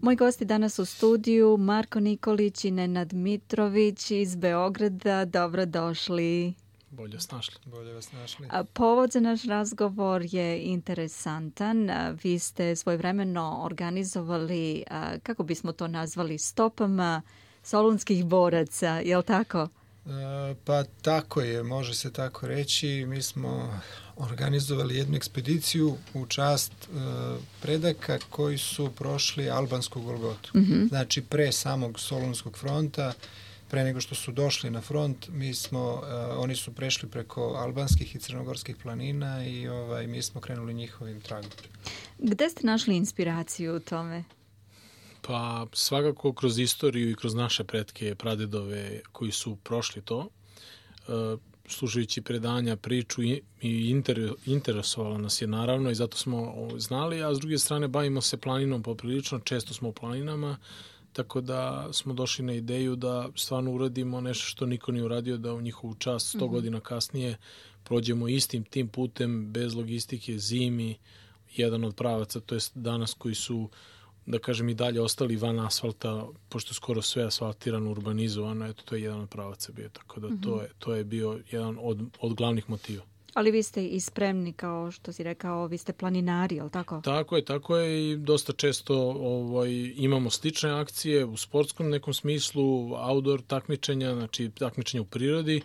Moj gosti danas u studiju Marko Nikolić i Nenad Mitrović iz Beograda. Dobrodošli. Bolje vas našli. Povod za naš razgovor je interesantan. Vi ste svojevremeno organizovali, kako bismo to nazvali, stopama solunskih boraca, je li tako? Pa tako je, može se tako reći. Mi smo organizovali jednu ekspediciju u čast predaka koji su prošli albansku Golgotu. Znači pre samog Solunskog fronta, pre nego što su došli na front, oni su prešli preko albanskih i crnogorskih planina i mi smo krenuli njihovim tragom. Gde ste našli inspiraciju u tome? Pa svakako kroz istoriju i kroz naše pretke, pradedove koji su prošli to, slušajući predanja, priču i interesovalo nas je naravno i zato smo znali, a s druge strane bavimo se planinom poprilično, često smo u planinama, tako da smo došli na ideju da stvarno uradimo nešto što niko nije uradio, da u njihovu čast 100 godina kasnije prođemo istim tim putem, bez logistike, zimi, jedan od pravaca, to jest danas koji su, da kažem, i dalje ostali van asfalta, pošto skoro sve asfaltirano, urbanizovano, eto, to je jedan od pravaca bio, tako da to je bio jedan od glavnih motiva. Ali vi ste i spremni, kao što si rekao, vi ste planinari, je li tako? Tako je i dosta često imamo slične akcije u sportskom nekom smislu, outdoor takmičenja, znači takmičenja u prirodi,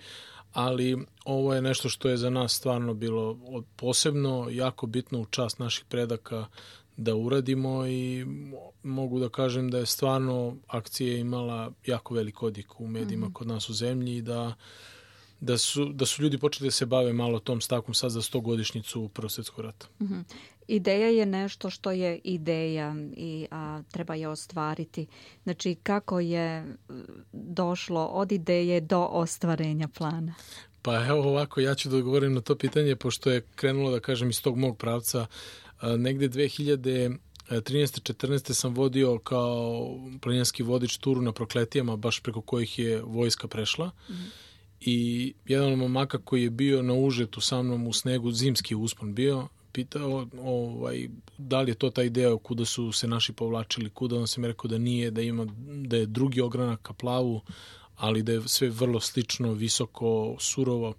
ali ovo je nešto što je za nas stvarno bilo posebno, jako bitno u čast naših predaka da uradimo i mogu da kažem da je stvarno akcija imala jako velik odjek u medijima kod nas u zemlji i da su ljudi počeli da se bave malo tom stavkom sad za 100-godišnjicu Prvog svjetskog rata. Ideja je nešto što je ideja i treba je ostvariti. Znači, kako je došlo od ideje do ostvarenja plana? Pa evo ovako, ja ću da odgovorim na to pitanje, pošto je krenulo, da kažem, iz tog mog pravca. Negde 2013-14 sam vodio kao planinarski vodič turu na Prokletijama, baš preko kojih je vojska prešla. I jedan od momaka koji je bio na užetu sa mnom u snegu, zimski uspon bio, pitao da li je to ta ideja kuda su se naši povlačili, kuda, on sam rekao da nije, da je drugi ogranak ka plavu, ali da je sve vrlo slično, visoko, surovo.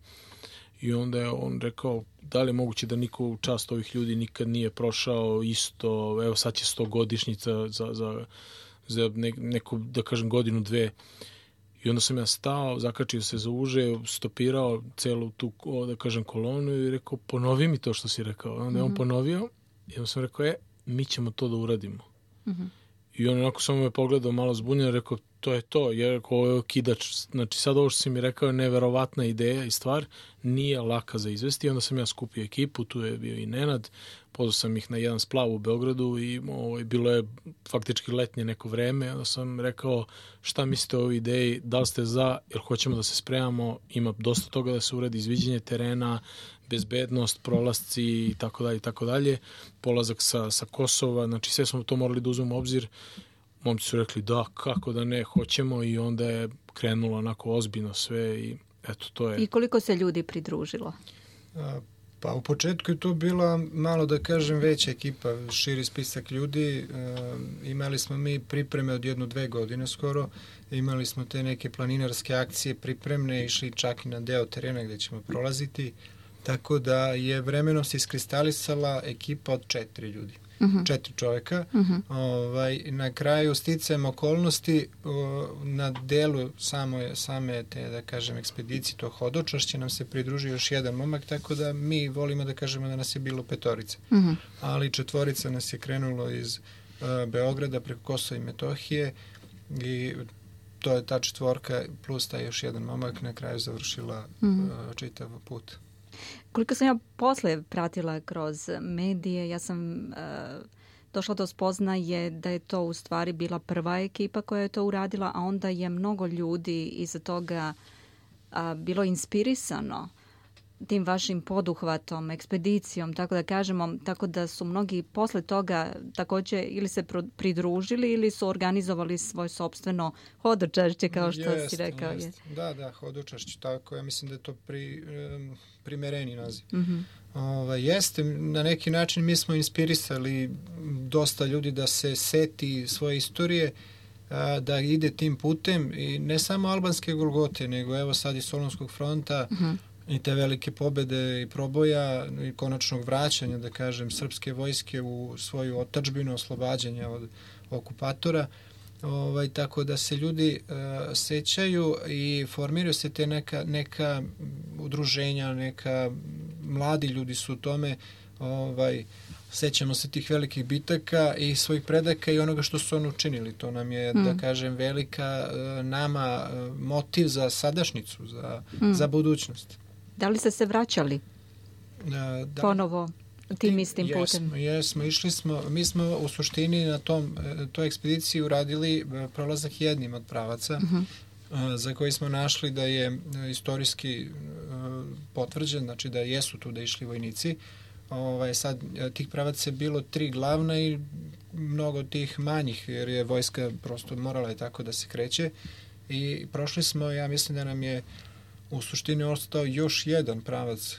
I onda je on rekao, da li je moguće da niko u čast ovih ljudi nikad nije prošao isto, evo sad će 100-godišnjica za neku, da kažem, godinu, dve. I onda sam ja stao, zakačio se za uže, stopirao celu tu, da kažem, kolonu i rekao, ponovi mi to što si rekao. Onda je on ponovio i onda sam rekao, mi ćemo to da uradimo. I on onako samo me pogledao malo zbunjeno i rekao, to je to. Ja rekao, ovo je kidač. Znači sad ovo što si mi rekao je neverovatna ideja i stvar, nije laka za izvesti. I onda sam ja skupio ekipu, tu je bio i Nenad, pozvao sam ih na jedan splav u Beogradu i bilo je faktički letnje neko vreme. Onda sam rekao, šta mislite o ovoj ideji, da li ste za, jer hoćemo da se spremamo, ima dosta toga da se uradi, izviđenje terena, bezbednost, prolasci i tako dalje, polazak sa Kosova, znači sve smo to morali da uzmemo u obzir. Momci su rekli da, kako da ne, hoćemo i onda je krenulo onako ozbiljno sve i eto to je. I koliko se ljudi pridružilo? Pa u početku je to bila malo, da kažem, veća ekipa, širi spisak ljudi. Imali smo mi pripreme od 1-2 godine skoro, imali smo te neke planinarske akcije pripremne, išli čak i na deo terena gde ćemo prolaziti, tako da je vremenom se iskristalisala ekipa od 4 ljudi. 4 čoveka. Na kraju sticajem okolnosti na delu same te, da kažem, ekspedicije, to hodočašće, nam se pridružio još jedan momak, tako da mi volimo da kažemo da nas je bilo 5. Ali 4 nas je krenulo iz Beograda preko Kosova i Metohije i to je ta 4 plus taj još jedan momak na kraju završila čitav put. Koliko sam ja posle pratila kroz medije, ja sam došla do spoznaje da je to u stvari bila prva ekipa koja je to uradila, a onda je mnogo ljudi iza toga bilo inspirisano tim vašim poduhvatom, ekspedicijom, tako da kažemo, tako da su mnogi posle toga također ili se pridružili ili su organizovali svoje sopstveno hodočašće, kao što si rekao. Jest. Da, hodočašće, tako. Ja mislim da je to primereni naziv. Jeste, na neki način mi smo inspirisali dosta ljudi da se seti svoje istorije, da ide tim putem i ne samo albanske Golgote, nego evo sad i Solunskog fronta i te velike pobede i proboja i konačnog vraćanja, da kažem, srpske vojske u svoju otadžbinu, oslobađanja od okupatora. Tako da se ljudi sećaju i formiraju se te neka udruženja, mladi ljudi su u tome, sećamo se tih velikih bitaka i svojih predaka i onoga što su oni učinili. To nam je, da kažem, velika nama motiv za sadašnjicu, za budućnost. Da li ste se vraćali ponovo tim istim putem? Jesmo, išli smo. Mi smo u suštini na toj ekspediciji uradili prolazak jednim od pravaca, za koji smo našli da je istorijski potvrđen, znači da jesu tu da išli vojnici. Sad tih pravaca je bilo 3 glavna i mnogo tih manjih, jer je vojska prosto morala je tako da se kreće. I prošli smo, ja mislim da nam je u suštini ostao još jedan pravac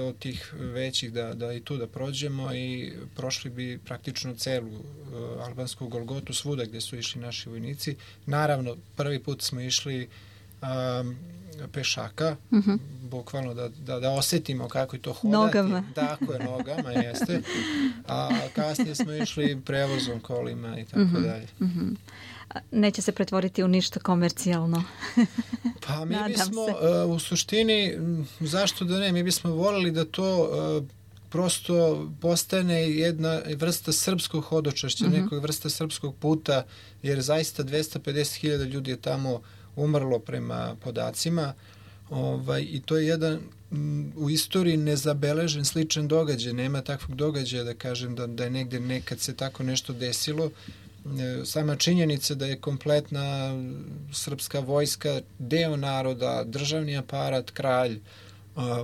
od tih većih da i tu da prođemo i prošli bi praktično celu albansku Golgotu svuda gdje su išli naši vojnici. Naravno, prvi put smo išli pešaka, bukvalno da osetimo kako je to hodati. Nogama. Tako je, nogama, jeste. A kasnije smo išli prevozom, kolima i tako dalje. Neće se pretvoriti u ništa komercijalno. Pa mi bismo, u suštini, zašto da ne, mi bismo voljeli da to prosto postane jedna vrsta srpskog hodočašća, nekog vrsta srpskog puta, jer zaista 250.000 ljudi je tamo umrlo prema podacima, i to je jedan u istoriji nezabeležen sličan događaj. Nema takvog događaja da kažem da je negdje nekad se tako nešto desilo. Sama činjenica da je kompletna srpska vojska, deo naroda, državni aparat, kralj,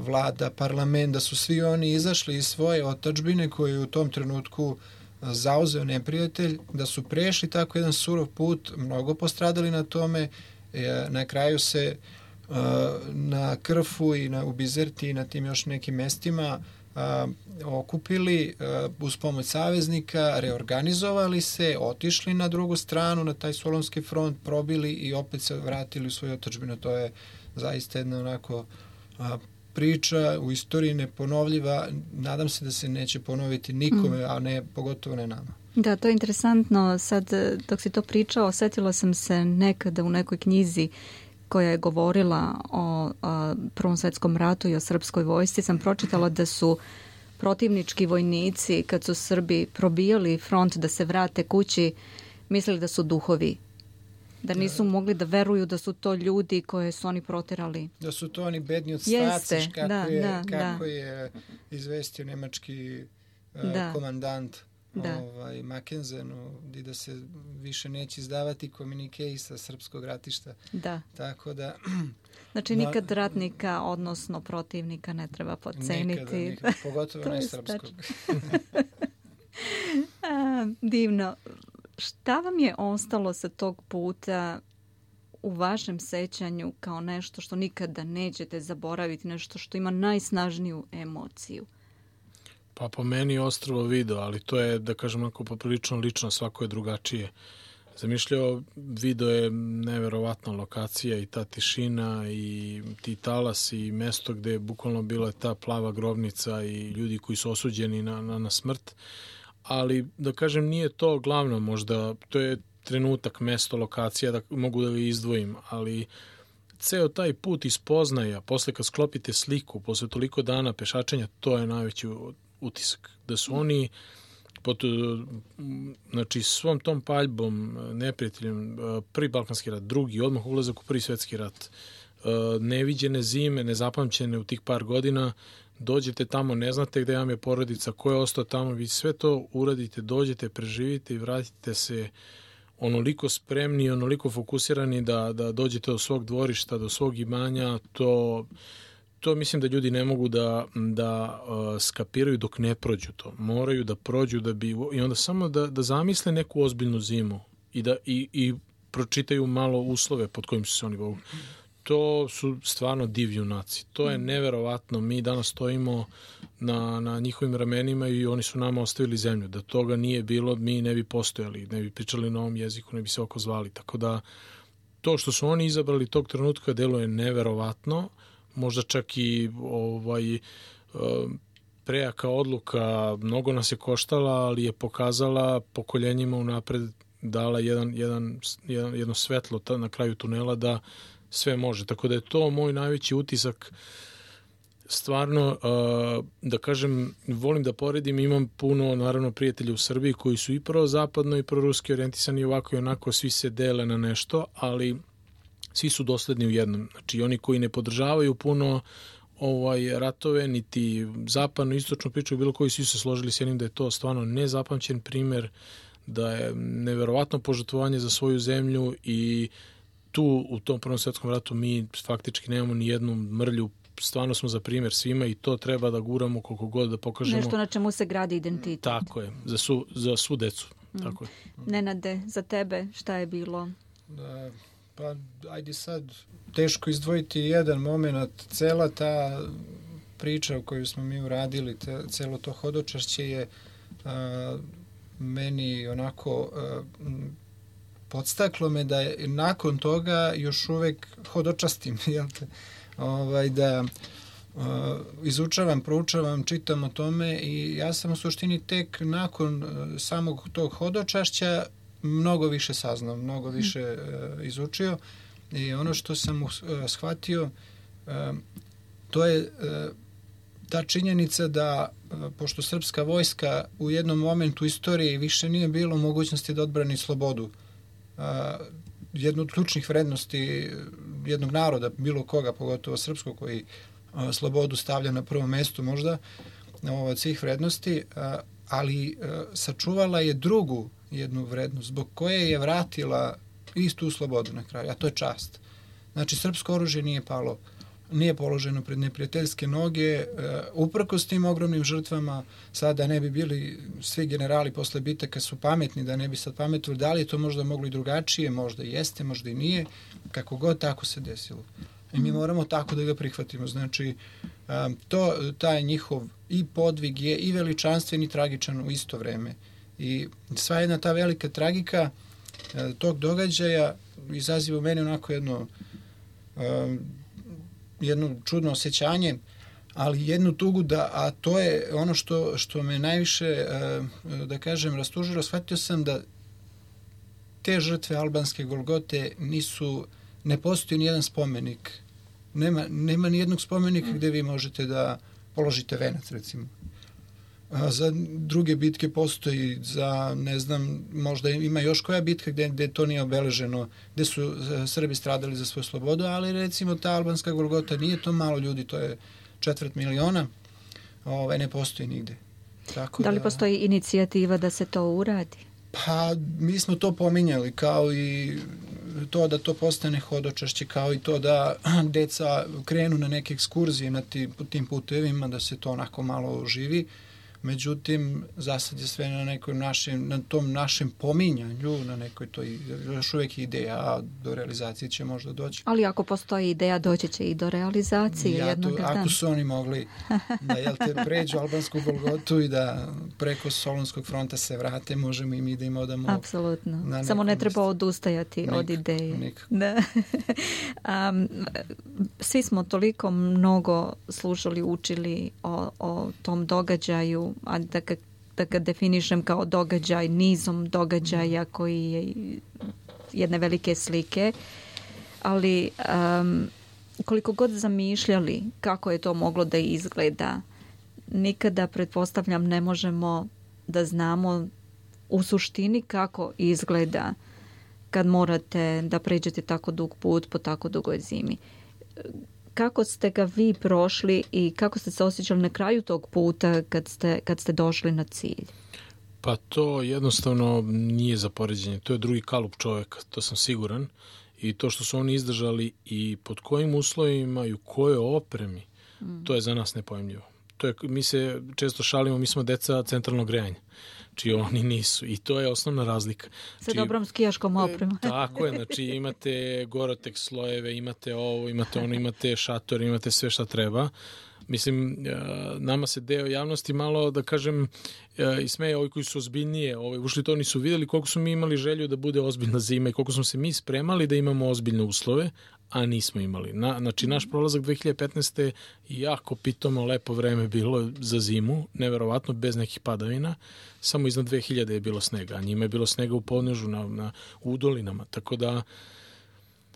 vlada, parlament, da su svi oni izašli iz svoje otadžbine koje je u tom trenutku zauzeo neprijatelj, da su prešli tako jedan surov put, mnogo postradali na tome, na kraju se na Krfu i u Bizerti i na tim još nekim mestima okupili uz pomoć saveznika, reorganizovali se, otišli na drugu stranu, na taj Solunski front, probili i opet se vratili u svoju otadžbinu. To je zaista jedna onako priča u istoriji neponovljiva. Nadam se da se neće ponoviti nikome, a ne pogotovo ne nama. Da, to je interesantno. Sad, dok si to pričao, osjetila sam se nekada u nekoj knjizi koja je govorila o Prvom svjetskom ratu i o srpskoj vojsci, sam pročitala da su protivnički vojnici, kad su Srbi probijali front da se vrate kući, mislili da su duhovi. Da nisu mogli da veruju da su to ljudi koje su oni proterali. Da su to oni bedni od staciš, kako je izvestio nemački komandant Mackenzenu, i da se više neće izdavati komunikeji sa srpskog ratišta. Da. Tako da... Znači nikad ratnika, odnosno protivnika, ne treba podceniti. Nikada, pogotovo ne srpskog. Divno. Šta vam je ostalo sa tog puta u vašem sećanju kao nešto što nikada nećete zaboraviti, nešto što ima najsnažniju emociju? Pa po meni je ostrvo Vido, ali to je, da kažem, onako poprilično lično, svako je drugačije. Zamišljao, Vido je neverovatna lokacija i ta tišina i ti talas i mesto gde je bukvalno bila ta plava grobnica i ljudi koji su osuđeni na smrt. Ali, da kažem, nije to glavno možda, to je trenutak, mesto, lokacija, da mogu da ga izdvojim, ali ceo taj put iz Poznaja, posle kad sklopite sliku, posle toliko dana pešačenja, to je najveći utisak. Da su oni znači svom tom paljbom, neprijateljem, prvi Balkanski rat, drugi, odmah ulazak u prvi svetski rat, neviđene zime, nezapamćene u tih par godina, dođete tamo, ne znate gde vam je porodica, ko je ostao tamo, vi sve to uradite, dođete, preživite i vratite se onoliko spremni, onoliko fokusirani da dođete do svog dvorišta, do svog imanja, to mislim da ljudi ne mogu da skapiraju dok ne prođu to. Moraju da prođu i onda samo da zamisle neku ozbiljnu zimu i pročitaju malo uslove pod kojim su se oni bogu. To su stvarno div junaci. To je neverovatno. Mi danas stojimo na njihovim ramenima i oni su nama ostavili zemlju. Da toga nije bilo, mi ne bi postojali, ne bi pričali na ovom jeziku, ne bi se oko zvali. Tako da to što su oni izabrali tog trenutka deluje neverovatno. Možda čak i prejaka odluka, mnogo nas je koštala, ali je pokazala pokoljenjima unapred, dala jedno svetlo na kraju tunela da sve može. Tako da je to moj najveći utisak. Stvarno, da kažem, volim da poredim, imam puno, naravno, prijatelja u Srbiji koji su i prozapadno i proruski orijentisani, ovako i onako, svi se dele na nešto, ali svi su dosledni u jednom. Znači, oni koji ne podržavaju puno ratove, niti zapadno, istočnu priču, bilo koji svi se složili s jednim da je to stvarno nezapamćen primer, da je neverovatno požrtvovanje za svoju zemlju i tu u tom Prvom svetskom ratu mi faktički nemamo ni jednu mrlju, stvarno smo za primjer svima i to treba da guramo koliko god da pokažemo. Nešto na čemu se gradi identitet. Tako je, za svu decu. Tako je. Nenade, za tebe šta je bilo? Pa ajde sad, teško izdvojiti jedan moment, cela ta priča koju smo mi uradili, celo to hodočašće je meni onako podstaklo me da nakon toga još uvek hodočastim, da izučavam, proučavam, čitam o tome i ja sam u suštini tek nakon samog tog hodočašća mnogo više saznao, mnogo više izučio i ono što sam shvatio to je ta činjenica da pošto srpska vojska u jednom momentu istoriji više nije bilo mogućnosti da odbrani slobodu, jednu od ključnih vrednosti jednog naroda, bilo koga, pogotovo srpskog, koji slobodu stavlja na prvo mesto možda od svih vrednosti, ali sačuvala je drugu jednu vrednost, zbog koje je vratila istu slobodu na kraju, a to je čast. Znači, srpsko oružje nije palo, nije položeno pred neprijateljske noge, uprkos tim ogromnim žrtvama, sada ne bi bili svi generali posle bitaka su pametni, da ne bi sad pametovali, da li je to možda moglo i drugačije, možda jeste, možda i nije, kako god tako se desilo. I mi moramo tako da ga prihvatimo. Znači, taj njihov i podvig je i veličanstven i tragičan u isto vreme. I sva jedna ta velika tragika tog događaja izaziva u meni onako jedno čudno osjećanje, ali jednu tugu a to je ono što me najviše, da kažem, rastužilo. Shvatio sam da te žrtve albanske Golgote ne postoji nijedan spomenik. Nema nijednog spomenika gde vi možete da položite venac, recimo. Za druge bitke postoji, za, ne znam, možda ima još koja bitka gde to nije obeleženo, gde su Srbi stradali za svoju slobodu, ali recimo ta albanska Golgota nije to malo ljudi, to je 250.000, ne postoji nigde. Tako da li postoji inicijativa da se to uradi? Pa, mi smo to pominjali, kao i to da to postane hodočašće, kao i to da deca krenu na neke ekskurzije na tim putevima, da se to onako malo oživi. Međutim, za sad je sve na tom našem pominjanju, na nekoj to još uvijek ideja, a do realizacije će možda doći. Ali ako postoji ideja, doći će i do realizacije jednog dana. Ako su oni mogli da pređu albansku Golgotu i da preko Solunskog fronta se vrate, možemo i mi da im odamo. Apsolutno. Samo ne treba odustajati od ideje. Da. Svi smo toliko mnogo slušali, učili o tom događaju, a da ga definišem kao događaj, nizom događaja koji je jedne velike slike, ali koliko god zamišljali kako je to moglo da izgleda, nikada, pretpostavljam, ne možemo da znamo u suštini kako izgleda kad morate da pređete tako dug put po tako dugoj zimi. Kako ste ga vi prošli i kako ste se osjećali na kraju tog puta kad ste došli na cilj? Pa to jednostavno nije za poređenje. To je drugi kalup čovjeka, to sam siguran. I to što su oni izdržali i pod kojim uslovima i u kojoj opremi, to je za nas nepojemljivo. Mi se često šalimo, mi smo deca centralnog grejanja, čiji oni nisu. I to je osnovna razlika. Sa dobrom skijaškom opremom. Tako je, znači imate Gore-Tex slojeve, imate ovo, imate ono, imate šator, imate sve šta treba. Mislim, nama se deo javnosti malo, da kažem, ismeje ovi koji su ozbiljnije, ušli to nisu videli koliko smo mi imali želju da bude ozbiljna zima i koliko smo se mi spremali da imamo ozbiljne uslove, a nismo imali. Znači, naš prolazak 2015. jako pitomo, lepo vreme bilo za zimu, neverovatno, bez nekih padavina, samo iznad 2000 je bilo snega, a njima je bilo snega u podnežu, u dolinama, tako da,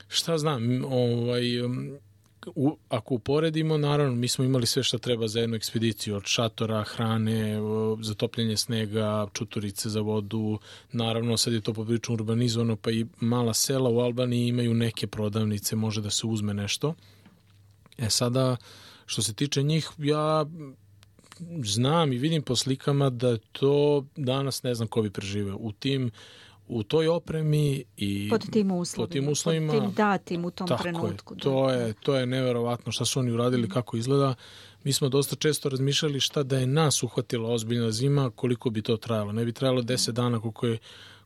šta znam, ako uporedimo, naravno, mi smo imali sve što treba za jednu ekspediciju, od šatora, hrane, zatopljenje snega, čuturice za vodu, naravno sad je to poprilično urbanizovano, pa i mala sela u Albaniji imaju neke prodavnice, može da se uzme nešto. Sada, što se tiče njih, ja znam i vidim po slikama da to danas ne znam ko bi preživeo. U toj opremi i pod tim uslovima, pod tim datim u tom trenutku. To je neverovatno šta su oni uradili, kako izgleda. Mi smo dosta često razmišljali šta da je nas uhvatila ozbiljna zima, koliko bi to trajalo. Ne bi trajalo 10 dana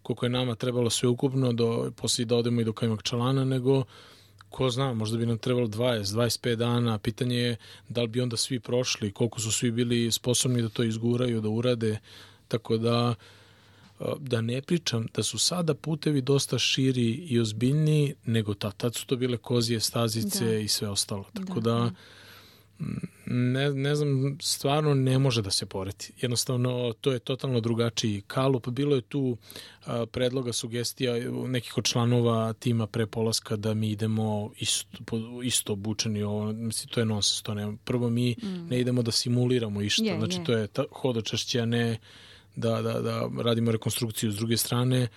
koliko je nama trebalo sve ukupno poslije da odemo i do Kajmakčalana, nego ko zna, možda bi nam trebalo 20-25 dana. Pitanje je da li bi onda svi prošli, koliko su svi bili sposobni da to izguraju, da urade, tako da ne pričam da su sada putevi dosta širi i ozbiljniji nego tad su to bile kozije stazice i sve ostalo. Tako da ne znam, stvarno ne može da se poredi. Jednostavno, to je totalno drugačiji kalup. Bilo je tu predloga, sugestija nekih od članova tima pre polaska da mi idemo isto obučeni. Mislim, to je nonsens. Prvo, mi ne idemo da simuliramo išta. Znači, to je hodočašće, a ne da radimo rekonstrukciju. S druge strane,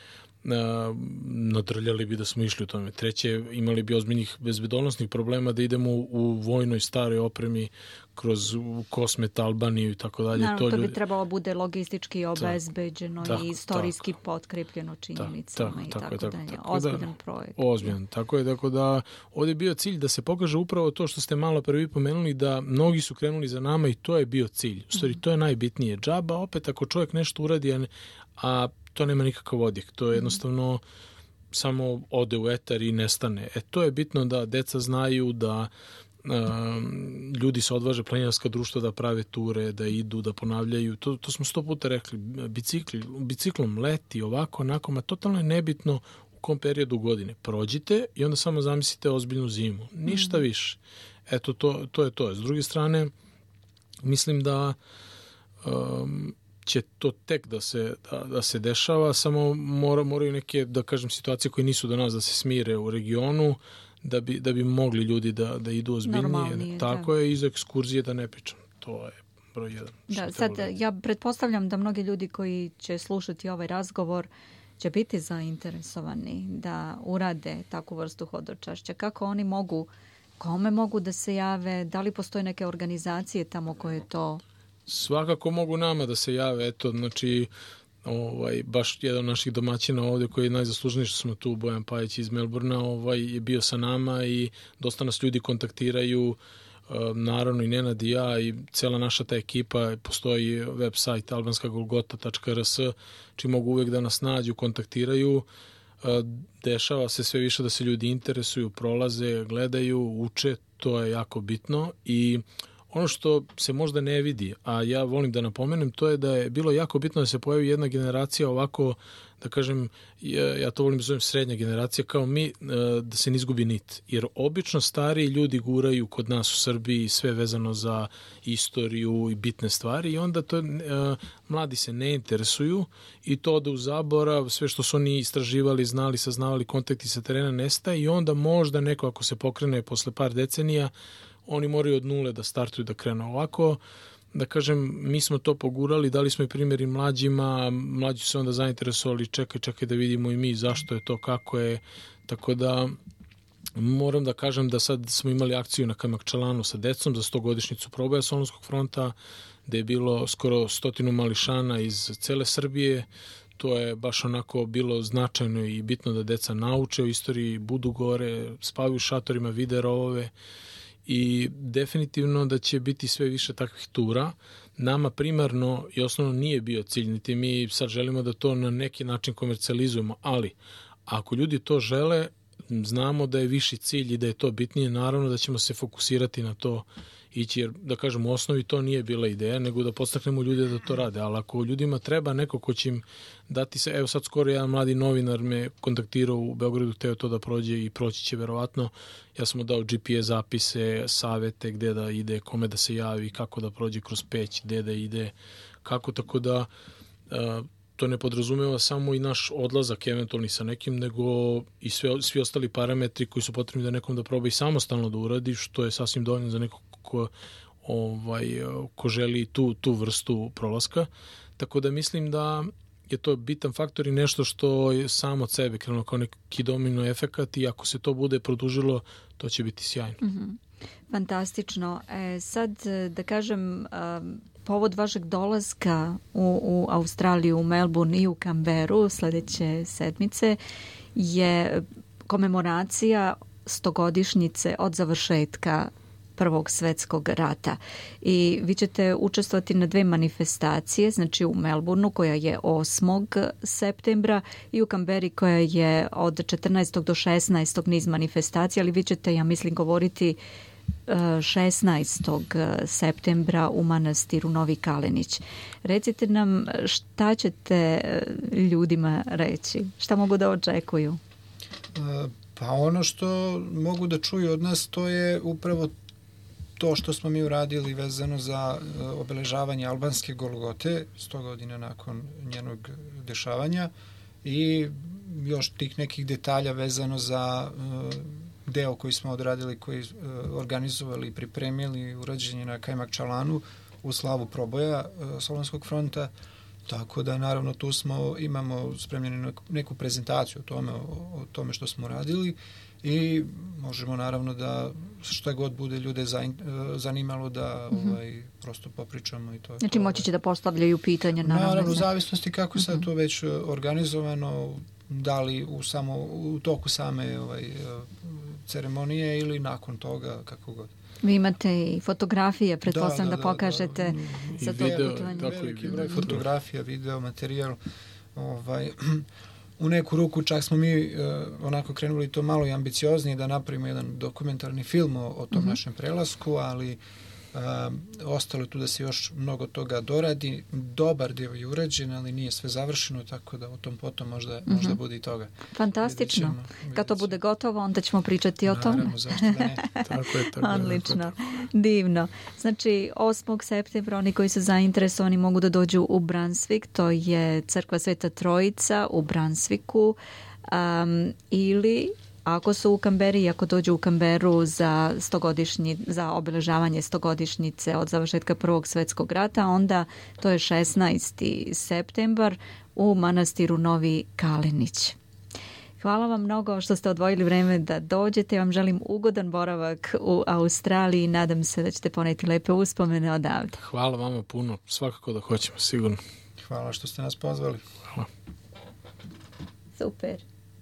nadrljali bi da smo išli u tome. Treće, imali bi ozbiljnih bezbednosnih problema da idemo u vojnoj staroj opremi kroz Kosmet, Albaniju i tako dalje. Naravno, to bi trebalo bude logistički obezbeđeno i istorijski potkrepljeno činjenicama i tako dalje. Ozbiljan projekt. Ozbiljan, tako je. Tako da ovdje je bio cilj da se pokaže upravo to što ste malo prvi pomenuli, da mnogi su krenuli za nama i to je bio cilj. U stvari, to je najbitnije. Džaba, opet, ako čovjek nešto uradi, a to nema nikakav odjek. To je jednostavno samo ode u etar i nestane. To je bitno da deca znaju da ljudi se odvaže, planinarska društva da prave ture, da idu, da ponavljaju. To smo 100 puta rekli. Biciklom leti, ovako, onako, ma totalno je nebitno u kom periodu godine. Prođite i onda samo zamislite ozbiljnu zimu. Ništa više. Eto, to je to. S druge strane, mislim da će to tek da se dešava, samo moraju neke, da kažem, situacije koje nisu do nas da se smire u regionu, da bi mogli ljudi da idu ozbiljnije. Tako je, iz ekskurzije da ne pričam. To je broj jedan. Da, sad ja pretpostavljam da mnogi ljudi koji će slušati ovaj razgovor će biti zainteresovani da urade takvu vrstu hodočašća. Kako oni mogu, kome mogu da se jave, da li postoje neke organizacije tamo koje to... Svakako mogu nama da se jave, eto, znači, baš jedan od naših domaćina ovdje koji je najzaslužniji što smo tu, Bojan Pajić iz Melburna, je bio sa nama i dosta nas ljudi kontaktiraju, naravno i Nenad i ja i cela naša ta ekipa, postoji website albanskagolgota.rs, čiji mogu uvijek da nas nađu, kontaktiraju. Dešava se sve više da se ljudi interesuju, prolaze, gledaju, uče, to je jako bitno. I ono što se možda ne vidi, a ja volim da napomenem, to je da je bilo jako bitno da se pojavi jedna generacija ovako, da kažem, ja to volim da zovem srednja generacija, kao mi, da se ne izgubi nit. Jer obično stariji ljudi guraju kod nas u Srbiji sve vezano za istoriju i bitne stvari i onda to mladi se ne interesuju i to ode u zaborav, sve što su oni istraživali, znali, saznavali, kontakti sa terena nestaje i onda možda neko ako se pokrene posle par decenija, oni moraju od nule da startuju, da krenu ovako. Da kažem, mi smo to pogurali, dali smo i primjer i mlađima, mlađi su se onda zainteresovali, čekaj da vidimo i mi zašto je to, kako je, tako da moram da kažem da sad smo imali akciju na Kajmakčalanu sa decom za 100-godišnjicu proboja Solunskog fronta, gde je bilo skoro 100 mališana iz cele Srbije. To je baš onako bilo značajno i bitno da deca nauče o istoriji, budu gore, spavaju u šatorima, vide rovove. i definitivno da će biti sve više takvih tura. Nama primarno i osnovno nije bio cilj, niti mi sad želimo da to na neki način komercijalizujemo, ali ako ljudi to žele, znamo da je viši cilj i da je to bitnije, naravno da ćemo se fokusirati na to ići, jer da kažem u osnovi to nije bila ideja, nego da podstaknemo ljude da to rade, ali ako ljudima treba neko ko će im dati se, evo sad skoro jedan mladi novinar me kontaktirao u Beogradu, hteo to da prođe i proći će verovatno, ja sam mu dao GPS zapise, savete gde da ide, kome da se javi, kako da prođe kroz Peć, gde da ide, kako, tako da to ne podrazumeva samo i naš odlazak eventualni sa nekim, nego i svi ostali parametri koji su potrebni da nekom da proba i samostalno da uradi, što je sasvim dovoljno za nekog ko želi tu vrstu prolaska. Tako da mislim da je to bitan faktor i nešto što je samo od sebe krenulo kao neki domino efekat i ako se to bude produžilo, to će biti sjajno. Mm-hmm. Fantastično. Sad da kažem, povod vašeg dolaska u Australiju, u Melbourne i u Canberru sledeće sedmice je komemoracija 100-godišnjice od završetka Prvog svetskog rata. I vi ćete učestvovati na 2 manifestacije, znači u Melbourneu koja je 8. septembra i u Canberri koja je od 14. do 16. niz manifestacija, ali vi ćete, ja mislim, govoriti 16. septembra u manastiru Novi Kalenić. Recite nam šta ćete ljudima reći, šta mogu da očekuju? Pa ono što mogu da čuju od nas to je upravo to što smo mi uradili vezano za obeležavanje albanske Golgote 100 godina nakon njenog dešavanja i još tih nekih detalja vezano za deo koji smo odradili, koji organizovali i pripremili urađenje na Kajmakčalanu u slavu proboja Solunskog fronta. Tako da naravno tu imamo spremljenu neku prezentaciju o tome što smo radili i možemo naravno da šta god bude ljude zanimalo da prosto popričamo i to. Znači moći će da postavljaju pitanja naravno u zavisnosti kako sad to već organizovano, da li u toku same ceremonije ili nakon toga, kako god. Vi imate i fotografije, pretpostavljam da pokažete za to putovanje. Veliki broj fotografija, video, materijal. U neku ruku čak smo mi onako krenuli to malo i ambicioznije da napravimo jedan dokumentarni film o tom našem prelasku, ali ostalo tu da se još mnogo toga doradi. Dobar dio je urađen, ali nije sve završeno, tako da o tom potom možda bude i toga. Fantastično. Kad to bude gotovo, onda ćemo pričati o tome. Naravno, zašto da ne. Tako je. Odlično. Divno. Znači, 8. septembra oni koji su zainteresovani mogu da dođu u Brunswick, to je Crkva Sveta Trojica u Brunswicku, ili ako su u Canberri, ako dođu u Canberru za obeležavanje 100-godišnjice od završetka Prvog svetskog rata, onda to je 16. septembar u manastiru Novi Kalenić. Hvala vam mnogo što ste odvojili vreme da dođete. Ja vam želim ugodan boravak u Australiji i nadam se da ćete poneti lepe uspomene odavde. Hvala vama puno. Svakako da hoćemo, sigurno. Hvala što ste nas pozvali. Hvala. Super.